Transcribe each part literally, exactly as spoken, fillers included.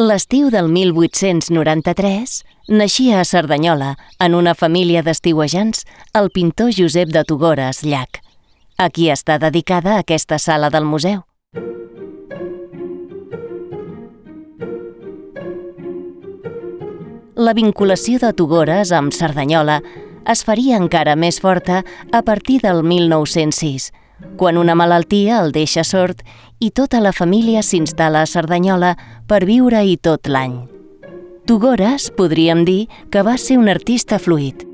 L'estiu del mil vuit-cents noranta-tres naixia a Cerdanyola, en una família d'estiuejants, el pintor Josep de Togores Llach, a qui està dedicada aquesta sala del museu. La vinculació de Togores amb Cerdanyola es faria encara més forta a partir del mil nou-cents sis, quan una malaltia el deixa sord i tota la família s'instal·la a Cerdanyola per viure-hi tot l'any. Togores, podríem dir, que va ser un artista fluid.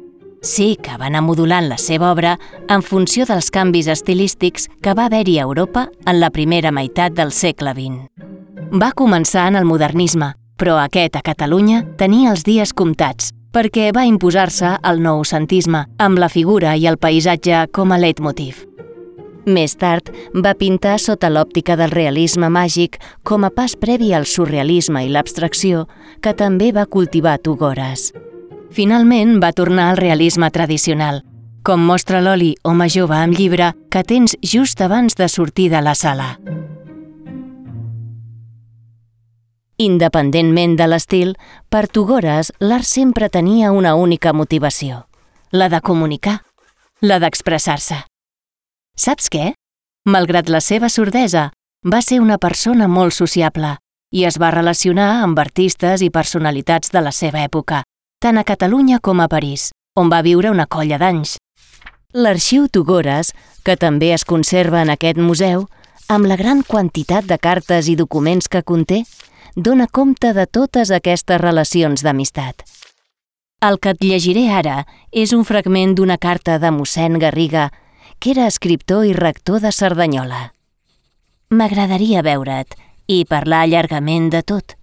Sí que va anar modulant la seva obra en funció dels canvis estilístics que va haver-hi a Europa en la primera meitat del segle vint. Va començar en el modernisme, però aquest a Catalunya tenia els dies comptats, perquè va imposar-se el noucentisme, amb la figura i el paisatge com a leitmotiv. Més tard, va pintar sota l'òptica del realisme màgic com a pas previ al surrealisme i l'abstracció, que també va cultivar Togores. Finalment, va tornar al realisme tradicional, com mostra l'oli Home jove amb llibre que tens just abans de sortir de la sala. Independentment de l'estil, per Togores l'art sempre tenia una única motivació, la de comunicar, la d'expressar-se. Saps què? Malgrat la seva sordesa, va ser una persona molt sociable i es va relacionar amb artistes i personalitats de la seva època, tant a Catalunya com a París, on va viure una colla d'anys. L'arxiu Togores, que també es conserva en aquest museu, amb la gran quantitat de cartes i documents que conté, dona compte de totes aquestes relacions d'amistat. El que et llegiré ara és un fragment d'una carta de mossèn Garriga, que era escriptor i rector de Cerdanyola. M'agradaria veure't i parlar llargament de tot.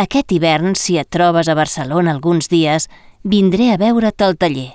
Aquest hivern, si et trobes a Barcelona alguns dies, vindré a veure't al taller.